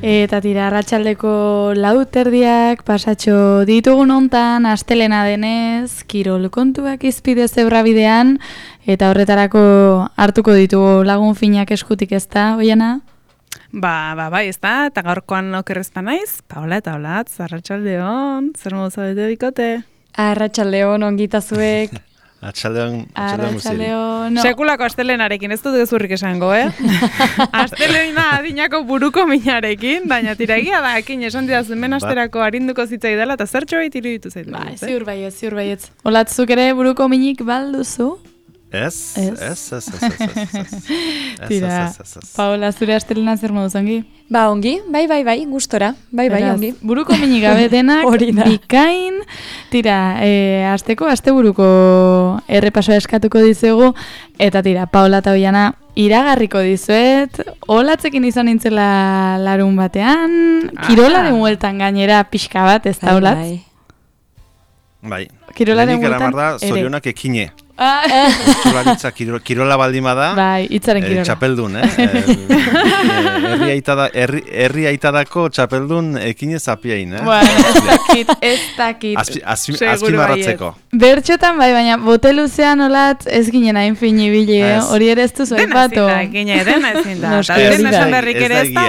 Eta tira, arratsaldeko 4:00 pasatxo ditugun hontan, astelena denez, kirol kontuak izpide zebrabidean, eta horretarako hartuko ditugu lagun finak eskutik, ezta, Oiana? Bai, ez da, eta gaurkoan okerrezpa naiz, Paola eta Olatz, arratsaldeon, zer modu zaudete bikote? Arratsaldeon, ongitazuek. Arratsaldeon. Sekulako astelenarekin, ez dut gezurrik esango, Astelena adinako buruko minarekin, baina tiragia da, ekin esan didazun asterako arinduko zitzai dela, eta zertxo behit iruditu zaitu. Ziur baietz. Olatzuk ere buruko minik balduzu? Ez. Tira, Paola, zure astelena zer modu zongi? Ba, ongi, bai, gustora, bai, ongi. Buruko minik gabe denak, bikain, tira, asteburuko errepasoa eskatuko dizugu, eta tira, Paola eta Oiana, iragarriko dizuet, Olatzekin izan nintzela larun batean, kirolaren hueltan gainera pixka bat, ez da, Olatz? Bai. Kirolaren hueltan ere. Zorionak ekine. Txularitza kirola baldima da. Bai, hitzaren kirola. Txapeldun, herri aitadako txapeldun ekine zapiain, Bueno, ez dakit. Azpimarratzeko. Bertxotan bai, baina bote luzean Olatz ez ginen hain finibili, hori ere ez duzu aipatu. Dena ezin da. Dena esan berrik ere ez da.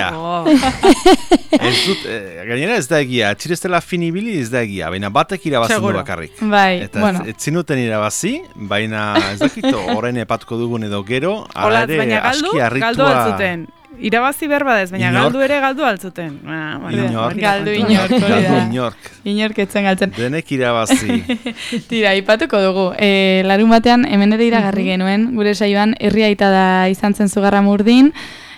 Gainera ez da egia, txireztela finibili ez da egia, baina batek irabazen du bakarrik. Bai, bueno. Eta ez zinuten irabazi, baina ez dakito, orain epatuko dugun edo gero, ala ere aski harritua... Galdu altzuten. Irabazi berba dez, baina galdu ere galdu altzuten. Galdu inork. Inork etzen galtzen. Denek irabazi. Tira, ipatuko dugu. Larun batean, hemen ere iragarri genuen, gure saioan, herri aita da izan zen Zugarramurdin,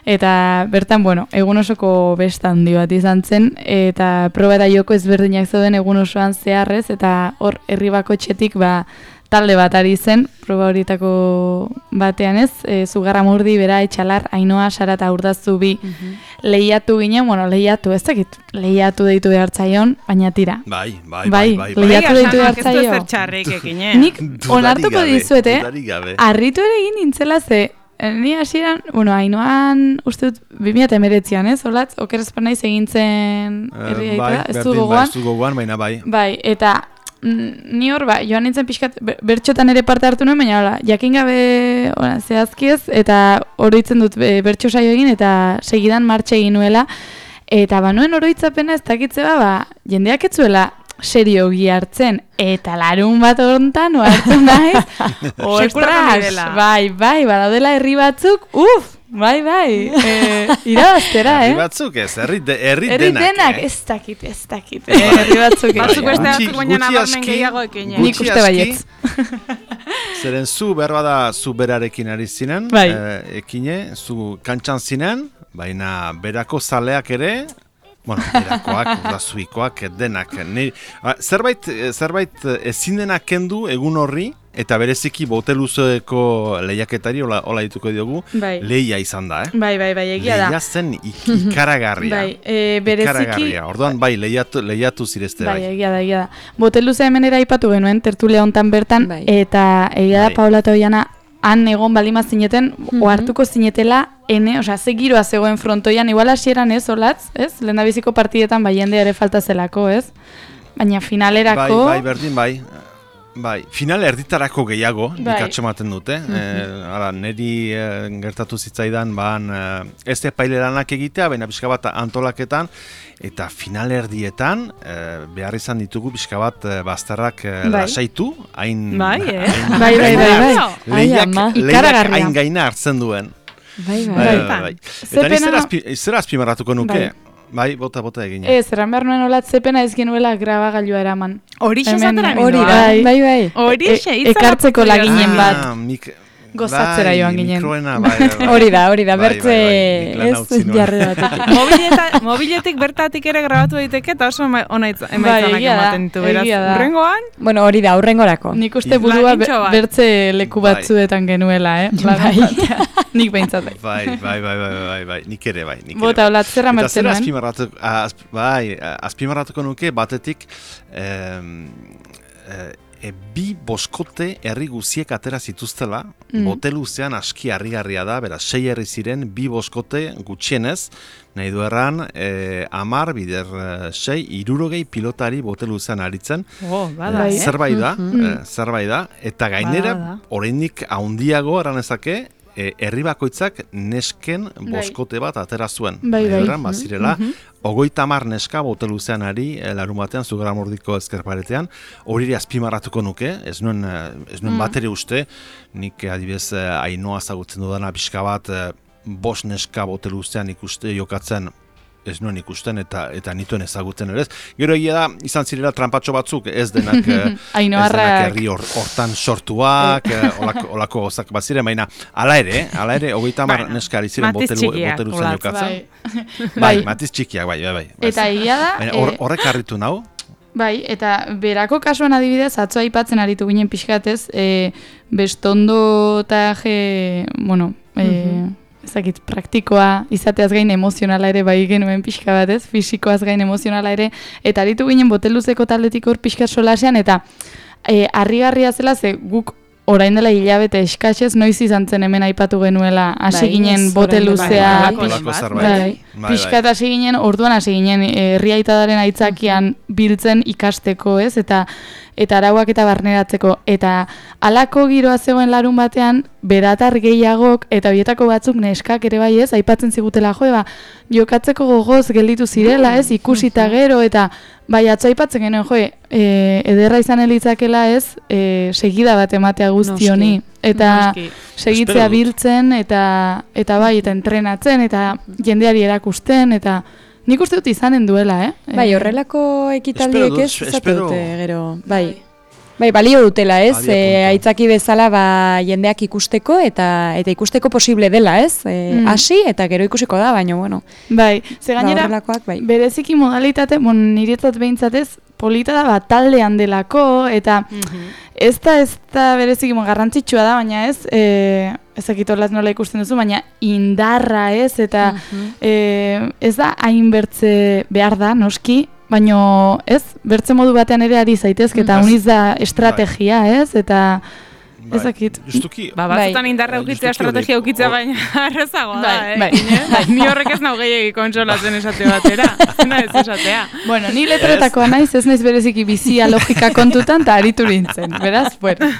eta bertan, egun osoko besta handi bat izan zen, eta proba eta joko ezberdinak zeuden egun osoan zeharrez, eta hor herri bakotxetik talde bat ari zen, proba horietako batean ez, Zugarramurdi, Bera, Etxalar, Ainoa, Sara eta Urdazu bi lehiatu ginen, lehiatu deitu behartzaion, baina tira. Bai. Lehiatu deitu behartzaion. Nik onartuko dizuete, harritu ere egin nintzela ze, ni hasieran, Ainoan, uste dut, 2019an, ez, Olatz, okerrezpan naiz egin zen herri aita, ez du gogoan. Ez du gogoan, baina bai. Bai, eta ni hor, joan nintzen pixkat, bertxotan ere parte hartu nuen, baina jakin gabe zehazkiez, eta oroitzen dut bertxo saio egin, eta segidan martxe egin nuela, eta nuen oroitzapena ez dakitze jendeak etzuela seriogi hartzen, eta larun bat hontan hartu naiz, ostras, bai, badaudela herri batzuk, bai, irabaztera, Herri batzuk ez, herri denak. Ez dakit, herri batzuk. Batzuk beste batzuk baina nabarmen gehiago ekin. Nik uste baietz. Zeren zu berbada zu berarekin ari zinen, ekine, zu kantxan zinen, baina berako zaleak ere, berakoak, urdazuikoak, denak. Zerbait ezin denak kendu egun horri, eta bereziki boteluzoeko lehiaketari, hola dituko diogu, lehia izan da, Bai, egia da. Lehia zen ikaragarria. Bereziki... Orduan, lehiatu zirezte, bai. Egia da. Boteluze hemen ere aipatu genuen, tertulia hontan bertan, eta egia da, Paola eta Oiana, han egon balima zineten, ohartuko zinetela, ze giroa zegoen frontoian, igual hasieran ez, Olatz, ez? Lehendabiziko partidetan jende ere falta zelako, ez? Baina finalerako... Bai, berdin, bai, final erditarako gehiago, dikatxo maten dute. Neri gertatu zitzaidan, ez epaileranak egitea, baina pixka bat antolaketan, eta final erdietan, behar izan ditugu pixka bat bazterrak lasaitu, hain... Bai. Lehiak hain gaina hartzen duen. Bai. Eta zera azpimarratuko nuke? Bai, bota egin. Zerran behar nuen Olatz zepena ez genuela grabagailua eraman. Horixe zatera ginen. Bai. Horixe, ekartzeko laginen bat. Gozatzera joan ginen. Hori da, bertze ez jarri batetik. Mobiletik bertatik ere grabatu daiteke eta oso ona emaitzanak ematen ditu, beraz. Urrengoan? Bueno, hori da, urrengorako. Nik uste burua bertze leku batzuetan genuela, Nik behintzat. Bai, nik ere bai. Bota, Olatz, zerra mertzen nuen? Azpimarratuko nuke batetik bi boskote herri guziek atera zituztela, bote luzean aski harrigarria da, beraz, 6 herri ziren, bi boskote gutxienez, nahi du erran, 10 bider 6, 60 pilotari bote luzean aritzen. Bada, Zerbait da, eta gainera, oraindik handiago eranezake, herri bakoitzak nesken boskote bat atera zuen. Bazirela, 30 neska bote luzean ari larumatean, Zugarramurdiko ezkerparetean, hori azpimarratuko nuke, ez nuen bateri uste, nik adibidez Ainoa zagutzen dudana pixka bat, 5 neska bote luzean jokatzen, ez nuen ikusten eta nituen ezagutzen ere ez. Gero egia da, izan zirela trampatxo batzuk, ez denak herri hortan sortuak, olako gozak bat ziren, baina ala ere, 30 neska ari ziren bote luzean jokatzen. Bai, matiz txikiak, bai. Eta egia da... Horrek harritu nau? Bai, eta berako kasuan adibidez, atzo aipatzen aritu ginen pixkatez, bestondo eta ezakit, praktikoa izateaz gain emozionala ere bai genuen pixka batez, fisikoaz gain emozionala ere, eta aritu ginen boteluzeko taldetik hor pixka solasean, eta harrigarria zela ze guk orain dela hilabete eskaxez noiz izan zen hemen aipatu genuela hasi ginen boteluzea, pixka eta hasi ginen, orduan hasi ginen herriaitadaren aitzakian biltzen ikasteko, ez, eta arauak eta barneratzeko, eta halako giroa zegoen larun batean, beratar gehiagok, eta bietako batzuk neskak ere bai ez, aipatzen zigutela, jokatzeko gogoz gelditu zirela ez, ikusita gero, eta bai atzo aipatzen genuen, ederra izan elitzakela ez, segida bat ematea guzti honi, eta segitzea biltzen, eta bai, eta entrenatzen, eta jendeari erakusten, eta nik uste dut izanen duela, Bai, horrelako ekitaldiek ez zatu dute, gero, bai. Bai, balio dutela, ez? Aitzaki bezala jendeak ikusteko eta ikusteko posible dela, ez? Hasi eta gero ikusiko da, baina, bueno. Bai, ze gainera, bereziki modalitate, niretzat behintzatez, polita da taldean delako, eta ez da bereziki garrantzitsua da, baina ez, ezakitolaz nola ikusten duzu, baina indarra ez, eta ez da hain bertze behar da, noski, baina ez, bertze modu batean ere ari zaitezke, eta uniz da estrategia ez, eta ezakit. Batzutan indarra ukitzea, estrategia ukitzea, baina arrezagoa da, Ni horrek ez nau gehiagik kontsolatzen esate batera, zena ez esatea. Bueno, ni letretakoa naiz, ez naiz bereziki bizia logika kontutan, eta aritu nintzen, beraz, bueno.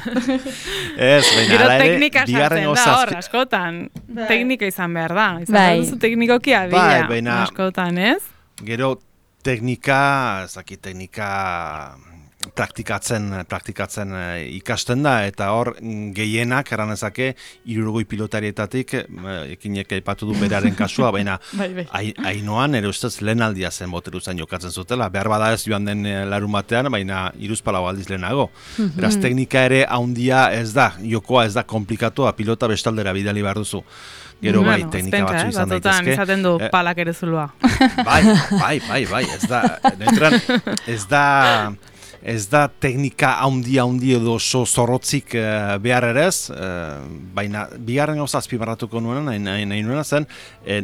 Ez, gero teknika sartzen da, hor, askotan. Teknika izan behar da. Izan duzu teknikoki adila, askotan, ez? Gero teknika praktikatzen ikasten da, eta hor gehienak eranezake 60 pilotarietatik ekinek aipatu du beraren kasua, baina Ainoan ere ustez lehen aldia zen boteluzan jokatzen zutela, behar bada ez joan den larun batean, baina 3 aldiz lehenago. Beraz, teknika ere haundia ez da, jokoa ez da komplikatua, pilota bestaldera bidali behar duzu. Gero bai, teknika batzu izan daitezke. Batzutan izaten du palak ere zulua. Bai, ez da teknika handi edo oso zorrotzik behar erez, baina bigarren gauza azpimarratuko nahi nuena zen,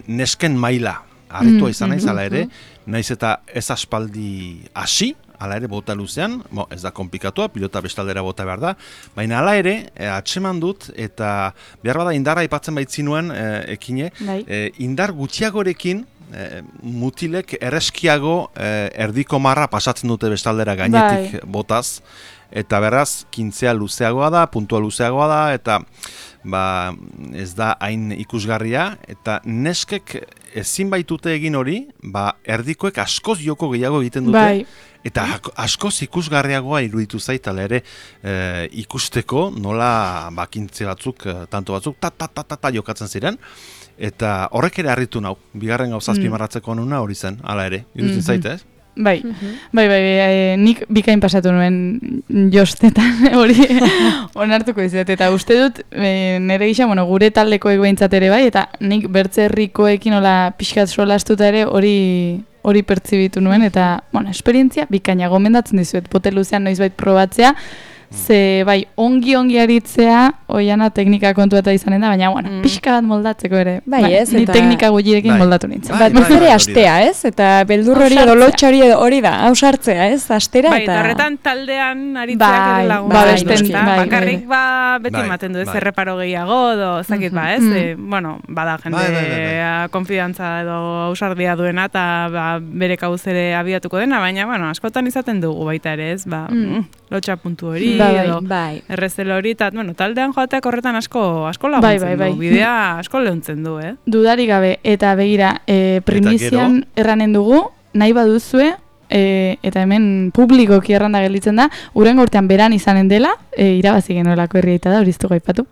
nesken maila harritua izan naiz, ala ere, naiz eta ez aspaldi hasi, ala ere bota luzean, ez da komplikatua, pilota bestaldera bota behar da, baina ala ere, atseman dut, eta behar bada indarra aipatzen baitzinuen ekine, indar gutxiagorekin, mutilek erreskiago erdiko marra pasatzen dute bestaldera gainetik botaz, eta beraz, kintzea luzeagoa da, puntua luzeagoa da, eta ez da hain ikusgarria, eta neskek ezin baitute egin hori, erdikoek askoz joko gehiago egiten dute, eta askoz ikusgarriagoa iruditu zaitala ere ikusteko nola kintze batzuk, tanto batzuk, ta jokatzen ziren, eta horrek ere harritu nau, bigarren gauza azpimarratzeko nuna hori zen, hala ere, iruditzen zaite, ez? Bai, nik bikain pasatu nuen jostetan hori onartuko dizuet, eta uste dut nire gisa, gure taldekoek behintzat ere bai, eta nik bertze herrikoekin pixkat solastuta ere hori pertsibitu nuen, eta esperientzia bikaina gomendatzen dizuet, boteluzean noizbait probatzea, ze bai, ongi aritzea, oiana teknika kontu eta izanen da, baina, bueno, pixka bat moldatzeko ere. Bai, ez, ni eta teknika gutxirekin moldatu nintzen. Bat ere astea, ez? Eta beldur hori edo lotxa hori da, hausartzea, ez? Astera bai, eta... horretan taldean aritzeak ere lagun. Bakarrik beti ematen du, ez erreparo gehiago, edo zakit ez? Bueno, bada jende konfidantza edo hausardia duena, eta bere kabuz ere abiatuko dena, baina, bueno, askotan izaten dugu baita ere, ez? Lotxa puntu hori, edo errezelo hori, eta, bueno, taldean joateak horretan asko laguntzen du, bidea asko lehuntzen du, Dudarik gabe, eta begira, primizian erranen dugu, nahi baduzue, eta hemen publikoki erranda gelditzen da, urrengo urtean beran izanen dela, irabazi genuelako herriaita da, horiztu gaipatu.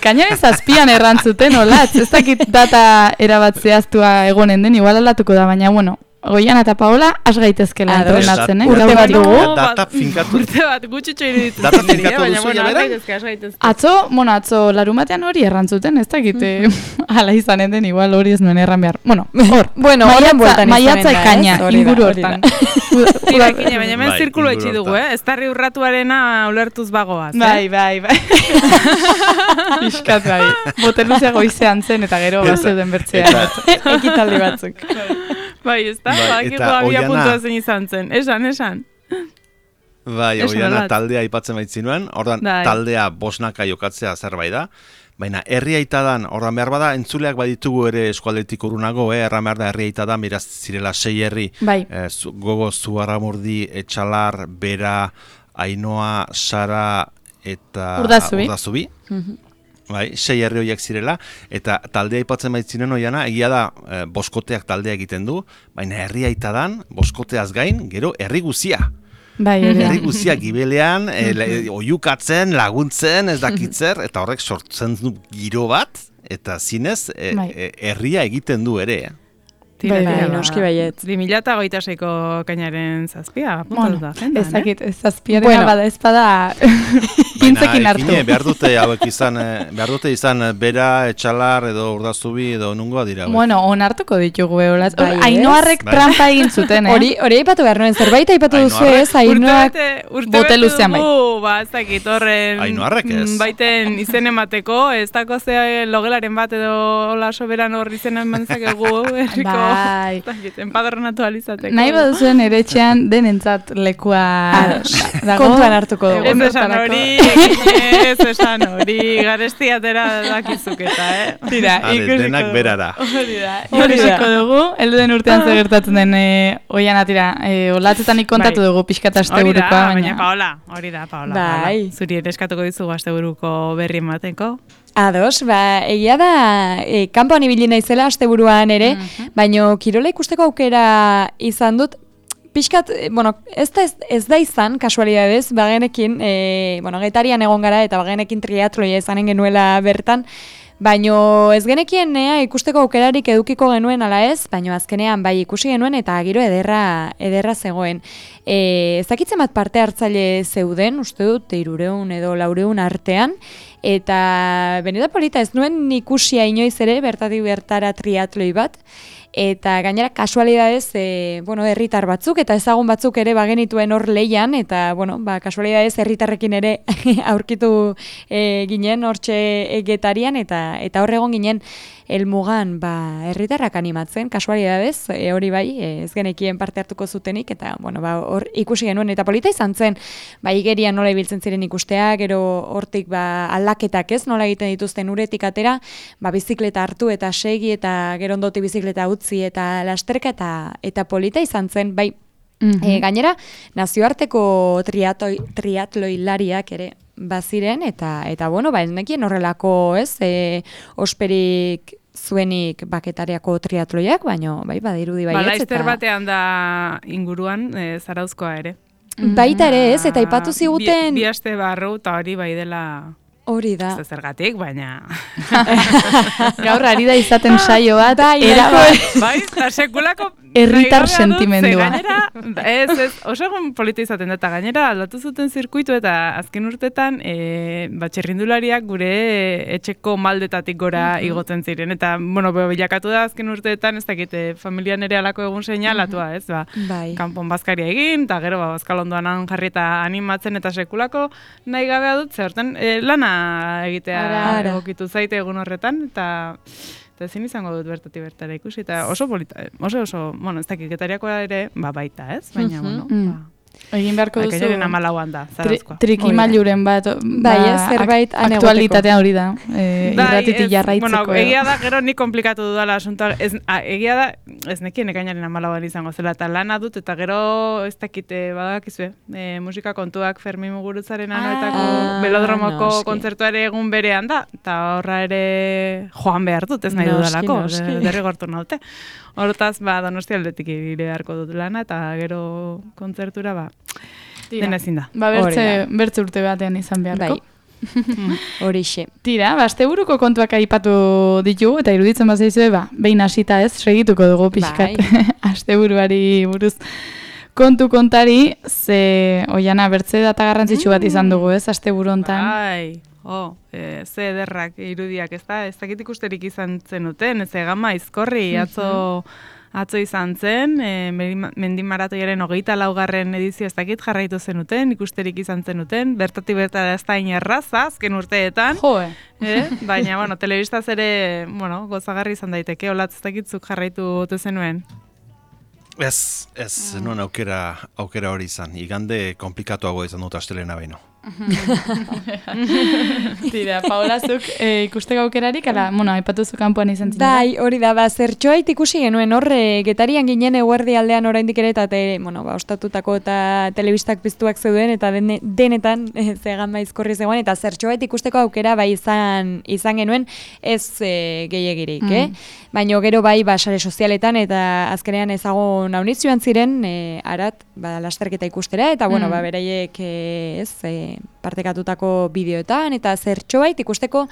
Kainaren 7an errantzuten, olatz, ez dakit data erabatzeaztua egonen den, igual aldatuko da, baina, bueno, Goian eta Paola, has gaitezkela entrenatzen, Urte bat dugu. Data finkatu. Urte bat, gutxitxo iruditzen. Data finkatu duzu ja bera? Atzo, larumatean hori errantzuten, ez dakite, ala izanen den, igual hori ez nuen erran behar. Bueno, maiatza ekaina, inguru hortan. Tirakine, baina hemen zirkulo etxi dugu, ez tarri urratuarena ulertuz bagoaz. Bai. Piskat bai. Boteluzea goizean zen eta gero bazeuden bertzea. Ekitaldi batzuk. Bai, ez da? Bakiko abia puntua zen izan zen. Esan. Bai, oiana taldea aipatzen baitzinuen, ordan taldea bosnaka jokatzea zerbait da, baina herriaitadan, ordan behar bada, entzuleak baditugu ere eskualdetik urunago, erran behar da herriaitadan, beraz zirela 6 herri, Gogo, Zugarramurdi, Etxalar, Bera, Ainoa, Sara eta Urdazubi. Bai, 6 herri horiek zirela, eta taldea aipatzen baitzinen oiana, egia da boskoteak taldea egiten du, baina herriaitadan, boskoteaz gain, gero herri guzia. Bai, herri guzia gibelean, oiukatzen, laguntzen, ez dakitzer, eta horrek sortzen du giro bat, eta zinez, herria egiten du ere. Noski baiet. 2026ko kainaren 7a, apuntatuta. Ez dakit, zazpiaren bada ezpada pintzekin hartu. Baina, behar dute izan Bera, Etxalar, edo Urdazubi, edo nungoa dira. Bueno, onartuko ditugu, eolaz. Ainoarrek trampa egin zuten, Hori aipatu behar nuen, zerbait aipatu duzu ez, Ainoak boteluzean bai. Ez dakit, horren baiten izen emateko, ez dako ze logelaren bat edo hola soberan hor izen emantzakegu, erriko. Enpadronatu alizateko. Nahi baduzuen ere etxean denentzat lekua kontuan hartuko dugu. Ez esan hori, garestiatera dakizuketa, Tira, denak berara. Horiziko dugu, helduen urtean gertatzen den oiana tira, olatzetan kontatu dugu pixkat asteburukoa. Baina Paola, hori da, Paola. Zuri ere eskatuko dizugu asteburuko berri emateko. Ados, egia da, kanpoan ibili naizela asteburuan ere, baino kirola ikusteko aukera izan dut, pixkat, ez da izan, kasualidadez, bagenekin, getarian egon gara eta bagenekin triatloia izanen genuela bertan, baino ez genekien ikusteko aukerarik edukiko genuen ala ez, baino azkenean bai ikusi genuen eta giro ederra zegoen. Ezakitzen bat parte hartzaile zeuden, uste dut, 300 edo 400 artean, eta beneta polita ez nuen ikusia inoiz ere, bertatik bertara triatloi bat, eta gainera kasualidadez, herritar batzuk eta ezagun batzuk ere bagenituen hor leian, eta kasualidadez herritarrekin ere aurkitu ginen hortxe getarian, eta hor egon ginen helmugan herritarrak animatzen, kasualidadez, hori bai, ez genekien parte hartuko zutenik, eta hor ikusi genuen, eta polita izan zen, igerian nola ibiltzen ziren ikustea, gero hortik aldaketak ez, nola egiten dituzten uretik atera, bizikleta hartu eta segi, eta gero ondoti bizikleta utzi, eta lasterka, eta polita izan zen, gainera, nazioarteko triatloilariak ere baziren, eta ez nekien horrelako, ez, osperik zuenik baketariako triatloiak, baina badirudi baietz. Laster batean da inguruan, Zarauzkoa ere. Baita ere ez, eta aipatu ziguten... Bi aste barru, eta hori bai dela... Hori da. Ez zergatik, baina... Gaur ari da izaten saio bat, bai, eta sekulako... Herritar sentimendua. Ez, oso egun polita izaten da, eta gainera aldatu zuten zirkuitu eta azken urtetan txirrindulariak gure etxeko maldetatik gora igotzen ziren. Eta, bueno, bilakatu da azken urteetan, ez dakite, familian ere alako egun seinalatua, ez, kanpon bazkaria egin, eta gero, bazkalondoan jarri eta animatzen eta sekulako nahi gabea dut, ze horten lana egitea egokitu zaite egun horretan, eta ezin izango dut bertara ikusi, eta oso polita, oso, bueno, ez dakit, Getariakoa ere, baita, ez? Baina, bueno, egin beharko duzu... Akainaren amalauan da, zarazkoa. Trikimailuren bat, zerbait aktualitatean hori da, irratitik jarraitzeko. Bueno, egia da, gero ni komplikatu dudala asuntoa, egia da, ez nekien ekainaren amalauan izango zela, eta lana dut, eta gero ez dakite badakizue, musika kontuak Fermin Muguruzaren anoetako Belodromoko kontzertuare egun berean da, eta horra ere joan behar dut, ez nahi dudalako, derrigortu naute. Hortaz, Donostia aldetik ire beharko dut lana, eta gero kontzertura, dena ezin da. Bertze urte batean izan beharko. Horixe. Tira, asteburuko kontuak aipatu ditugu, eta iruditzen bazaizue, behin hasita ez, segituko dugu pixkat asteburuari buruz. Kontari, ze Oiana bertze data garrantzitsu bat izan dugu, ez, asteburu hontan. Ze ederrak irudiak, ez dakit ikusterik izan zenuten, ez Gama Aizkorri atzo izan zen, Mendimaratoiaren 24. edizio ez dakit jarraitu zenuten, ikusterik izan zenuten, bertatik bertara ez da inerraza, azken urteetan. Baina, bueno, telebistaz ere, gozagarri izan daiteke, olatz ez dakitzuk jarraitu ote zenuen. Ez, nuen aukera hori izan, igande komplikatuago izan dut astelena baino. Tira, Paola, zuk ikusteko aukerarik, aipatuzu kanpoan izan zinera? Bai, hori da, zertxoait ikusi genuen horre, Getarian ginen eguerdi aldean oraindik ere, eta ostatutako eta telebistak piztuak zeuden, eta denetan zegan Aizkorri zegoen, eta zertxoait ikusteko aukera bai izan genuen, ez gehiagirik, baina gero bai sare sozialetan, eta azkenean ezagun nauniz joan ziren, arat, lasterketa ikustera, eta beraiek partekatutako bideoetan, eta zertxobait ikusteko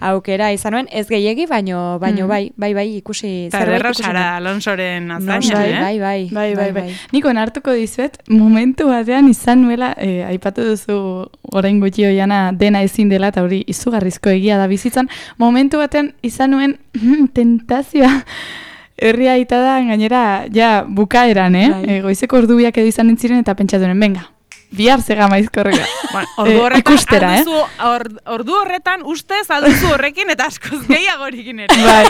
aukera izan nuen, ez gehiegi, baino bai, ikusi. Eta ederra Sara Alonsoren azaina, Bai. Niko hartuko dizuet, momentu batean izan nuela, aipatu duzu orain gutxi Oiana dena ezin dela, eta hori izugarrizko egia da bizitzan, momentu batean izan nuen tentazioa, herria aita da, gainera, bukaeran, goizeko ordubiak edo izan entziren, eta pentsatu nuen, venga, bihar Gama Aizkorrika. Ikustera, ordu horretan ustez alduzu horrekin eta askoz gehiagorikin ere. Bai,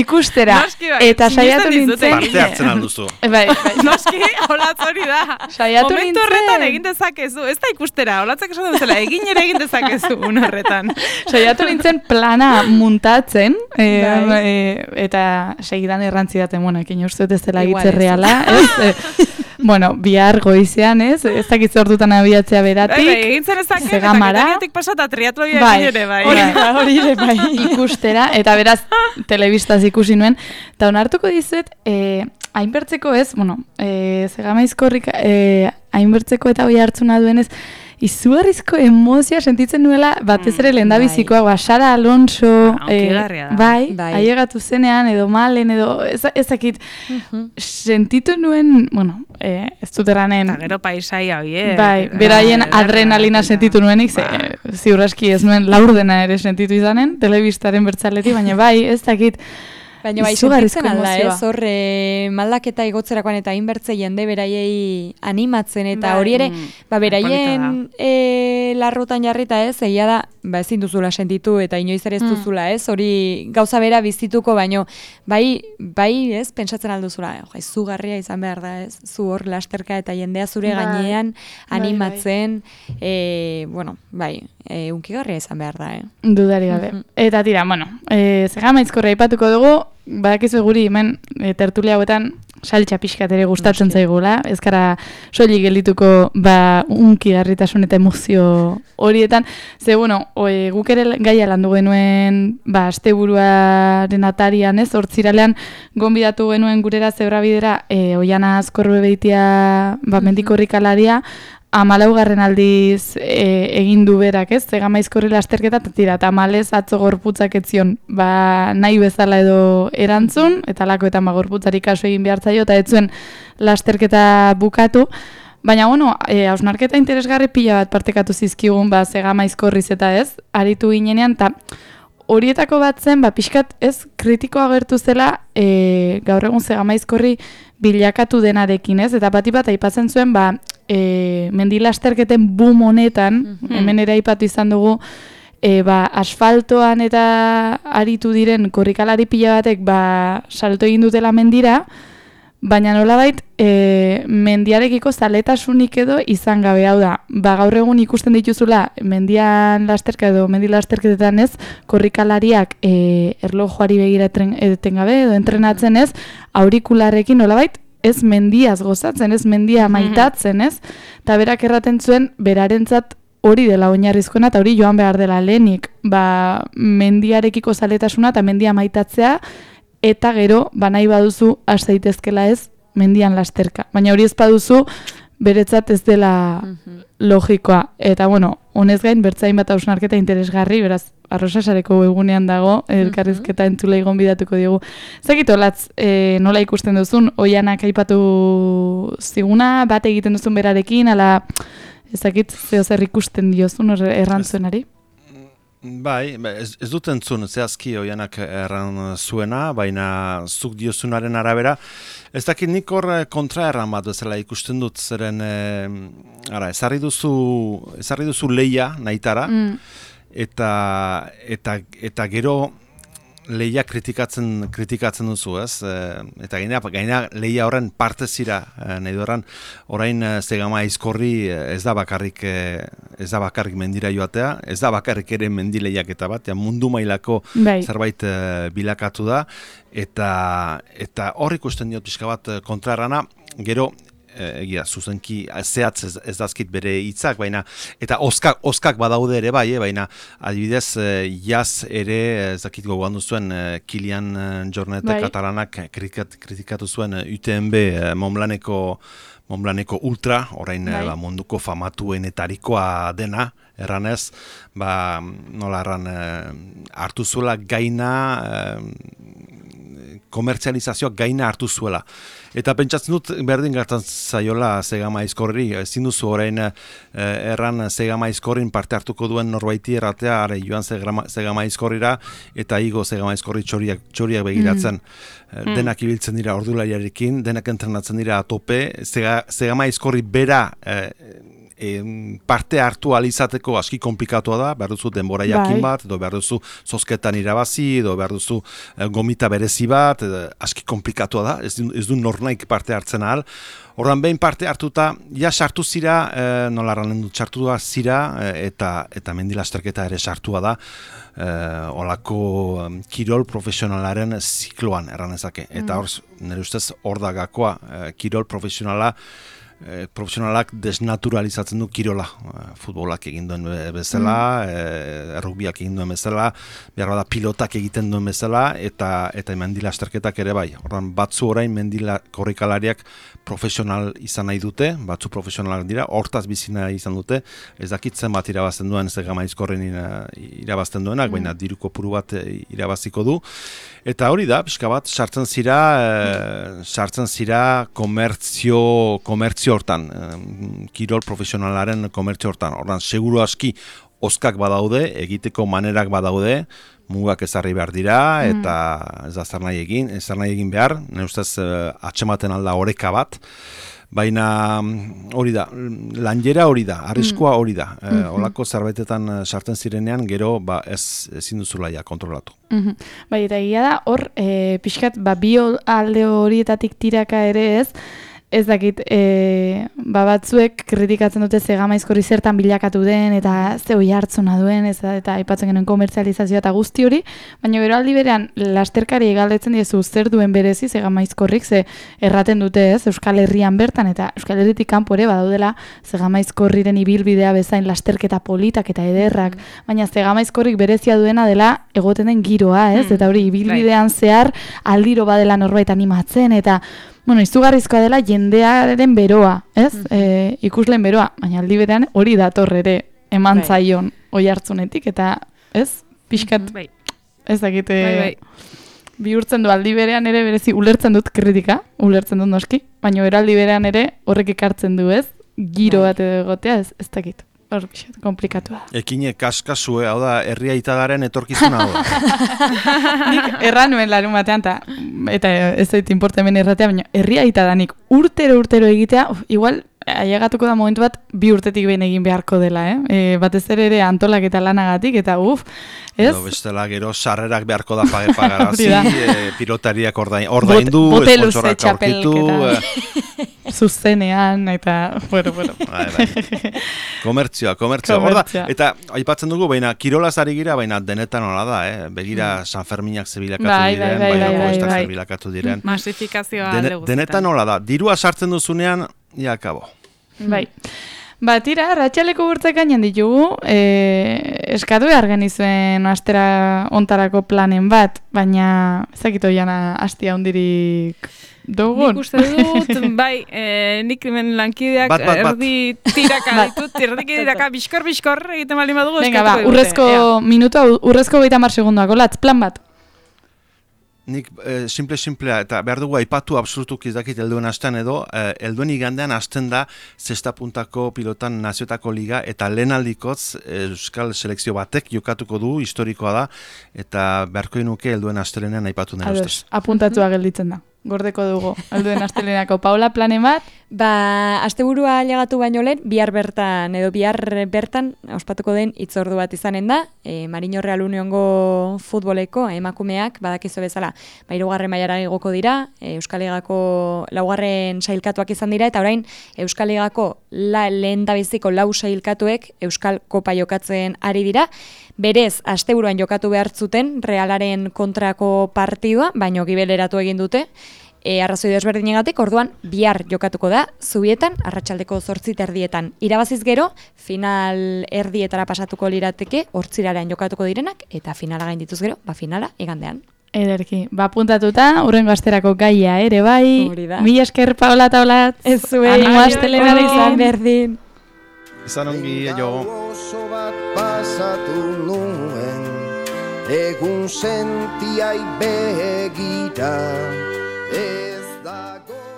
ikustera. Eta saiatu nintzen. Parte hartzen alduzu. Bai. Noski, olatz hori da. Saiatu nintzen. Momentu horretan egin dezakezu. Ez da ikustera, olatzak esan duzela, egin ere egin dezakezu un horretan. Saiatu nintzen plana muntatzen, eta segidan errantzidaten, ekin uste ez dela egitze reala, bihar goizean, ez dakitze ordutan abiatzea beratik, egintzen ezakit, eta Getariatik pasata triatloia egin ere, hori ere, bai, ikustera, eta beraz, telebistaz ikusi nuen, eta onartuko dizuet, hainbertzeko ez, Gama Aizkorrika, hainbertzeko eta hoi hartzuna duenez, izugarrizko emozioa sentitzen nuela, batez ere lehendabizikoa, Sara Alonso, ailegatu zenean, edo malen, edo ezakit, sentitu nuen, ez dut eranen... Eta gero paisaia hoi, Bai, beraien adrenalina sentitu nuenik, ziurraski ez nuen laurdena ere sentitu izanen, telebistaren bertzaleti, baina bai, ez dakit, baina bai, sentitzen alda, horre maldaketa igotzerakoan eta inbertze jende beraiei animatzen, eta hori ere, beraien larrotan jarrita egia da, ezin duzula sentitu eta inoiz ere ez duzula, hori gauza bera bizituko, baino, bai, pentsatzen alduzula, izugarria izan behar da, zu hor lasterka eta jendea zure gainean animatzen, unkigarria izan behar da, Dudari gabe. Eta tira, Gama Aizkorria aipatuko dugu, badakizu guri hemen tertulia hauetan saltxa pixkat ere gustatzen zaigula, ez gara soilik geldituko unkigarritasun eta emozio horietan, ze guk ere gaia landu genuen asteburuaren atarian, hortziralean gonbidatu genuen gurera zebrabidera Oiana Azkorbeitia mendikorrikalaria, 14. aldiz egin du berak, ez? Zegamaizkorri lasterketa, eta tamalez atzo gorputzak etzion, nahi bezala edo erantzun, eta lakoetan gorputzari kaso egin behartzaio, eta ez zuen lasterketa bukatu. Baina, hausnarketa interesgarri pila bat partekatu zizkigun, Zegamaizkorriz eta ez, aritu ginenean, eta horietako bat zen, pixkat ez kritikoa agertu zela, gaur egun Zegamaizkorri bilakatu denarekin, ez? Eta bat aipatzen zuen, mendilasterketen boom honetan, hemen ere aipatu izan dugu, asfaltoan eta aritu diren korrikalari pila batek salto egin dutela mendira, baina nolabait mendiarekiko zaletasunik edo izan gabe, hau da, gaur egun ikusten dituzula mendian lasterka edo mendilasterketetan ez, korrikalariak erlojuari begira etengabe edo entrenatzen ez, aurikularrekin nolabait, ez mendiaz gozatzen, ez mendia maitatzen, ez? Eta berak erraten zuen, berarentzat hori dela oinarrizkoena, eta hori joan behar dela lehenik, mendiarekiko zaletasuna eta mendia maitatzea, eta gero, nahi baduzu, has daitezkela ez, mendian lasterka. Baina hori ez baduzu, beretzat ez dela logikoa. Eta, honez gain, bertzain bat hausnarketa interesgarri, beraz, Arrosasareko egunean dago, elkarrizketa entzulei gonbidatuko diogu. Zakit, olatz, nola ikusten duzun, Oianak aipatu ziguna, bat egiten duzun berarekin, ala, ezakit, zer ikusten diozun errantzuenari? Bai, ez dut entzun, zehazki Oianak erran zuena, baina zuk diozunaren arabera. Ez dakit nik hor kontra erran bat bezala ikusten dut, zeren, ezarri duzu lehia nahitara, eta gero lehia kritikatzen duzu, ez? Eta gaina lehia horren parte zira, nahi dueran, orain Zegamaizkorri ez da bakarrik mendira joatea, ez da bakarrik ere mendileiaketa bat, mundu mailako zerbait bilakatu da, eta hor ikusten diot pixka bat kontrarrana, gero, egia, zuzenki zehatz ez dazkit bere hitzak, baina, eta oskak badaude ere bai, baina adibidez, jaz ere, ez dakit gogoan duzuen, Kilian Jornet katalanak kritikatu zuen UTMB Montblanceko ultra, orain munduko famatuenetarikoa dena, erranez, nola erran, hartu zuela gaina, komertzializazioak gaina hartu zuela. Eta pentsatzen dut berdin gertatzen zaiola Zegamaizkorri, ezin duzu orain erran Zegamaizkorrin parte hartuko duen norbaiti erratea, joan Zegamaizkorrira, eta igo Zegamaizkorri txoriak begiratzen. Denak ibiltzen dira ordulariarekin, denak entrenatzen dira atope, Zegamaizkorri bera parte hartu alizateko aski komplikatua da, behar duzu denbora jakin bat, edo behar duzu zozketan irabazi, edo behar duzu gomita berezi bat, aski komplikatua da, ez du nornaik parte hartzen ahal. Horran behin parte hartuta, sartu zira, nola erran dut sartua zira, eta mendilasterketa ere sartua da, olako kirol profesionalaren zikloan erranezake. Eta hor, nire ustez, hor da gakoa, kirol profesionalak desnaturalizatzen du kirola. Futbolak egin duen bezala, rugbiak egin duen bezala, behar da pilotak egiten duen bezala, eta mendilasterketak ere bai. Horran, batzu orain korrikalariak profesional izan nahi dute, batzu profesionalak dira, hortaz bizina izan dute, ez dakitzen bat irabazten duen, Zegamaizkorren irabazten duenak, baina diru kopuru bat irabaziko du. Eta hori da, pixka bat, sartzen zira komertzio hortan, kirol profesionalaren komertzio hortan. Hortan, seguru aski, oskak badaude, egiteko manerak badaude, mugak ezarri behar dira, eta ez da zer nahi egin behar, nire ustez atxematen alda oreka bat, baina hori da, lanjera hori da, arriskoa hori da, olako zerbaitetan sartzen zirenean, gero ezin duzula kontrolatu. Bai, eta egia da, hor, pixkat, bi alde horietatik tiraka ere ez dakit, batzuek kritikatzen dute Zegamaizkorri zertan bilakatu den, eta ze hoi hartzuna duen, eta aipatzen genuen komertzializazioa eta guzti hori, baina gero aldi berean, lasterkari egaldetzen diezu zer duen berezi Zegamaizkorrik, ze erraten dute Euskal Herrian bertan, eta Euskal Herritik kanpo ere badaudela Zegamaizkorriren ibilbidea bezain lasterketa politak eta ederrak, baina Zegamaizkorrik berezia duena dela egoten den giroa, eta hori ibilbidean zehar aldiro badela norbait animatzen, eta bueno, izugarrizkoa dela jendearen beroa, ez? Ikusleen beroa, baina aldi berean hori dator ere eman zaion oi hartzunetik, eta ez? Pixkat, ez dakite, bihurtzen du aldi berean ere berezi ulertzen dut kritika, ulertzen dut noski, baina eraldi berean ere horrek ekartzen du, ez? Giro bat egotea, ez dakit. Hor, pixat, komplikatua. Ekine kaskazue, hau da, herria itadaren etorkizuna hau da. Nik erran nuen larun batean, eta ez dut importa hemen erratea, baina herria itadanik urtero egitea, igual, ailegatuko da momentu bat, 2 urtetik behin egin beharko dela, batez ere antolak eta lanagatik, eta ez? Edo bestela gero sarrerak beharko da pagarazi, pilotariak ordaindu, esponsorak aurkitu. Zuzenean, eta, bueno. Komertzioa. Eta aipatzen dugu, baina kirolaz ari gira, baina denetan hola da, begira San Ferminak zebilakatu diren, baina zebilakatu diren. Masifikazioa alde guztietan. Denetan hola da, dirua sartzen duzunean, ja, kabo. Bai. Tira, ratxaleko burtzak gainan ditugu, eskatu behar genizuen astera ontarako planen bat, baina ezakitu jana astia hundirik dugun. Nik uste dut, bai, nik hemen lankideak erdi tiraka ditut, erdi tiraka biskor egiten bali badugu. Venga, urrezko minutua, urrezko 30 segunduak, olatz, plan bat. Nik simplea, eta behar dugu aipatu absolutuk izdakit helduen astean edo, helduen igandean hasten da zestapuntako pilotan nazioetako liga, eta lehen aldikoz euskal selekzio batek jokatuko du, historikoa da, eta beharko nuke helduen astelenean aipatu nire ustez. Apuntatua gelditzen da. Gordeko dugu, helduen astelenako. Paula, planen bat? Asteburua ailegatu baino lehen, bihar bertan ospatuko den hitzordu bat izanen da, Marino Real Uniongo futboleko emakumeak badakizu bezala, 3. mailara igoko dira, Euskal Ligako 4. sailkatuak izan dira, eta orain Euskal Ligako lehendabiziko 4 sailkatuek Euskal Kopa jokatzen ari dira. Berez, asteburuan jokatu behar zuten Realaren kontrako partidua, baino gibeleratu egin dute, arrazoi desberdinegatik, orduan bihar jokatuko da, Zubietan, arratsaldeko 8:30. Irabaziz gero, final erdietara pasatuko lirateke, 8:00 jokatuko direnak, eta finala gaindituz gero, finala igandean. Ederki, puntatuta, urrengo asterako gaia ere bai. Mila esker, Paola eta Olatz. Ez zuei, animo astelena izan berdin. Izan ongi, oso bat pasatu nuen, egun sentiai begira,